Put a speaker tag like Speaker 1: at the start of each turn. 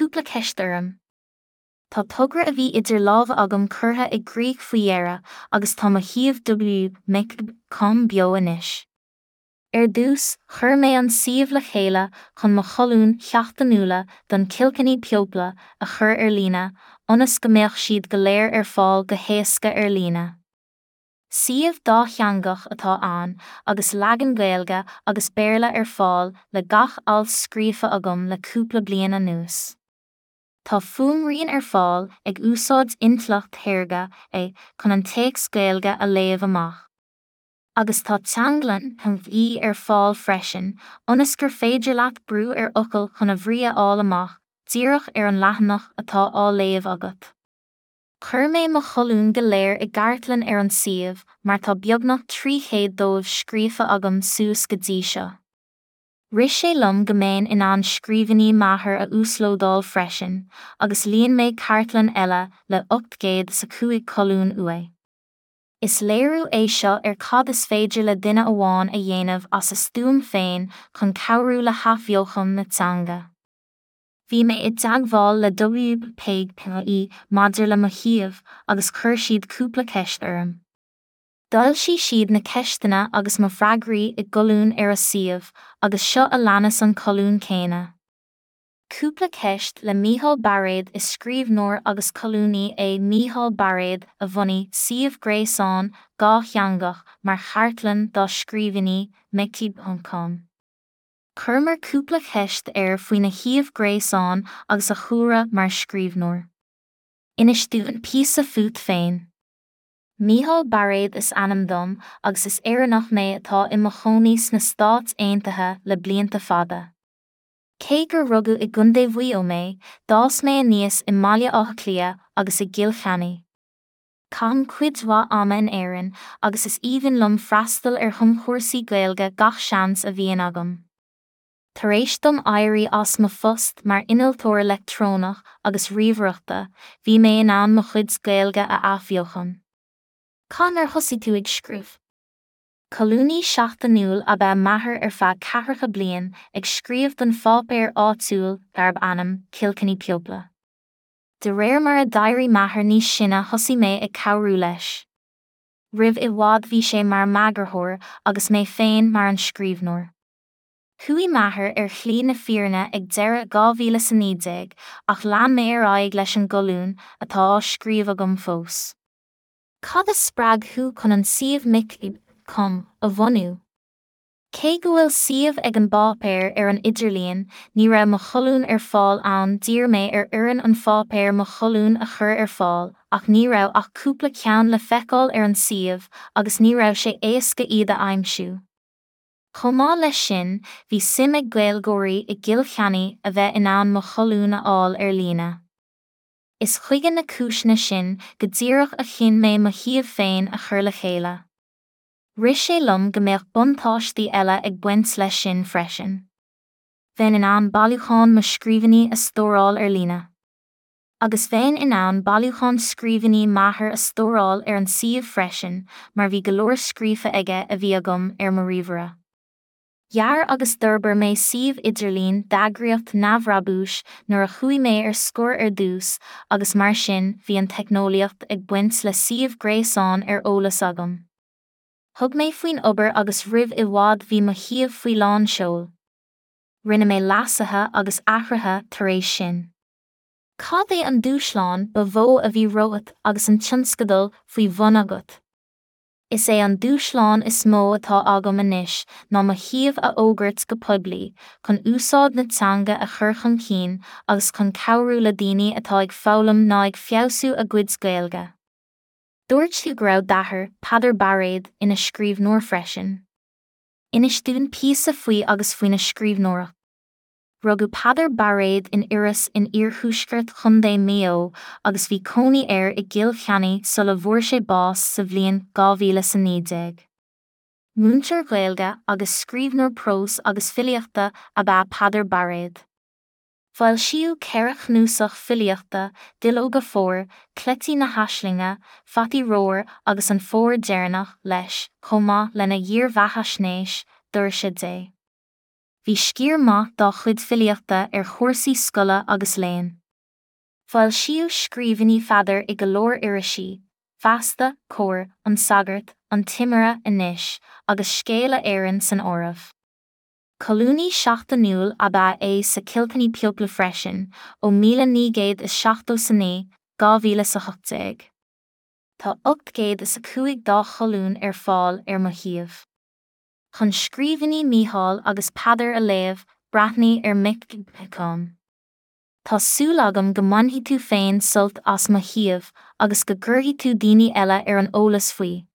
Speaker 1: cúpla ceist orm. Tá togra a bhí idir lámha agam curtha i gcrích faoi dheireadh agus tá mo shuíomh www.com beo anois. Ar dtús, chuir mé an suíomh le chéile chun mo cholúin sheachtainiúla don Kilkenny People a chur ar líne, ionas go mbeadh siad go léir ar fáil go héasca ar líne. Suíomh dátheangach atá ann agus leagan Gaeilge agus Béarla ar fáil le gach alt scríofa agam le cúpla bliain anuas. Tá fuaimrian ar fáil ag úsáid intleacht shaorga AI chun an téacs Gaeilge a léamh amach. Agus tá teanglann TTI ar fáil freisin ionas gur féidir leat brú ar fhocal chun a bhrí a fháil amach díreach ar an leathanach atá á léamh agat. Chuir mé mo cholúin go léir i gcartlann ar an suíomh mar tá beagnach 300 dóibh scríofa agam suas go dtí seo. Rith sé liom go mbeinn in ann scríbhinní m'athar a uaslódáil freisin agus líon mé cartlann eile le 805 colún uaidh. Is léiriú é seo ar cad is féidir le duine amháin a dhéanamh as a stuaim féin chun cabhrú le hathbheochan na teanga. Bhí mé i dteagmháil le WPPI maidir le mo shuíomh agus chuir siad cúpla ceist orm. D'fhoilsigh siad na ceisteanna agus mo freagraí i gcolún ar a suíomh agus seo a leanas an colún céanna. Cúpla ceist le Mícheál Bairéad Is scríbhneoir agus colúnaí é Mícheál Bairéad a bhunaigh suíomh gréasáin dhátheangach mar chartlann dá scríbhinní, Micí.com. Chuireamar cúpla ceist air faoina shuíomh gréasáin agus a chúlra mar scríbhneoir. Inis dúinn píosa fút féin. Mícheál Bairéad is ainm dom agus is Éireannach mé atá i mo chónaí sna Stáit Aontaithe le blianta fada. Cé gur rugadh i gContae Mhaigh Eo mé, d'fhás mé aníos i mBaile Átha Cliath agus i gCill Chainnigh. Caithim cuid mhaith ama in Éirinn agus is aoibhinn liom freastal ar thumchúrsaí Gaeilge gach seans a bhíonn agam. Tar éis dom éirí as mo phost mar innealtóir leictreonach agus ríomhaireachta, bhí mé in ann mo chuid Gaeilge a athbheochan. Cathain ar thosaigh tú ag scríobh? Colúnaí seachtainiúil ab ea m'athair ar feadh ceathracha bliain, ag scríobh don pháipéar áitiúil darb ainm Kilkenny People. De réir mar a d'éirigh m'athair níos sine thosaigh mé ag cabhrú leis. Roimh i bhfad bhí sé mar m'eagarthóir agus mé féin mar an scríbhneoir. Chuaigh m'athair ar shlí na fírinne ag deireadh 2019 ach lean mé ar aghaidh leis an gcolún, atá á scríobh agam fós. Cad a spreag thú chun an suíomh Micí.com a bhunú? Cé go bhfuil suíomh ag an bpáipéar ar an idirlíon, ní raibh mo cholúin ar fáil ann D'iarr mé ar fhoireann an pháipéir mo cholúin a chur ar fáil ach ní raibh ach cúpla ceann le feiceáil ar an suíomh agus ní raibh sé éasca iad a aimsiú. Chomh maith leis sin, bhí suim ag Gaeilgeoirí i gCill Chainnigh a bheith in ann mo cholúin a fháil ar líne. Is chuige na cúiseanna sin go díreach a chinn mé mo shuíomh féin a chur le chéile. Rith sé liom go mbeadh buntáistí eile ag baint leis sin freisin. Bheinn in ann bailiúchán mo scríbhinní a stóráil ar líne. Agus bheinn in ann bailiúchán scríbhinní m'athar a stóráil ar an suíomh freisin mar bhí go leor scríofa aige a bhí agam ar mo ríomhaire. Dhear agus d'fhorbair mé suíomh idirlín d'eagraíocht neamhbhrabúis nuair a chuaigh mé ar scor ar dtús agus mar sin bhí an teicneolaíocht ag baint le suíomh gréasáin ar eolas agam. Thug mé faoin obair agus roimh i bhfad bhí mo shuíomh faoi lán seoil. Rinne mé leasuithe agus athruithe tar éis sin. Cad é an dúshlán ba mhó a bhí romhat agus an tionscadal faoi bhun agat? Is é an dúshlán is mó atá agam anois ná mo shuíomh a fhógairt go poiblí, chun úsáid na teanga a chur chun cinn agus chun cabhrú le daoine atá ag foghlaim ná ag feabhsú a gcuid Gaeilge. Dúirt tú go raibh d'athair, Peadar Bairéad, ina scríbhneoir freisin. Inis dúinn píosa faoi agus faoina scríbhneoireacht. Rugadh Peadar Bairéad in Iorras in iarthuaisceart Chontae Mhaigh Eo agus bhí cónaí air i gCill Chainnigh sula bhfuair sé bás sa bhliain 2019. Múinteoir Gaeilge agus scríbhneoir próis agus filíochta ab ea Peadar Bairéad. Foilsíodh 4 chnuasach filíochta, Duilleoga Fómhair, Cleití na hAislinge, Fataí Ramhar agus An Fómhar Deireanach, leis, chomh maith lena dhírbheathaisnéis, Doirse Dé. Bhí sciar maith dá chuid filíochta ar chúrsaí scoile agus léinn. Foilsíodh scríbhinní Pheadair i go leor irisí, Feasta, Comhar, An Sagart, An Timire, Anois, agus Scéala Éireann san áireamh. Colúnaí seachtainiúil ab ea é sa Kilkenny People freisin, ó 1979, 2018. Tá 805 dá cholún ar fáil ar mo shuíomh. Chun scríbhinní Mícheál agus Peadar a léamh, breathnaigh ar mic.com. Tá súil agam go mbainfidh tú féin sult as mo shuíomh agus go gcuirfidh tú daoine eile ar an eolas faoi.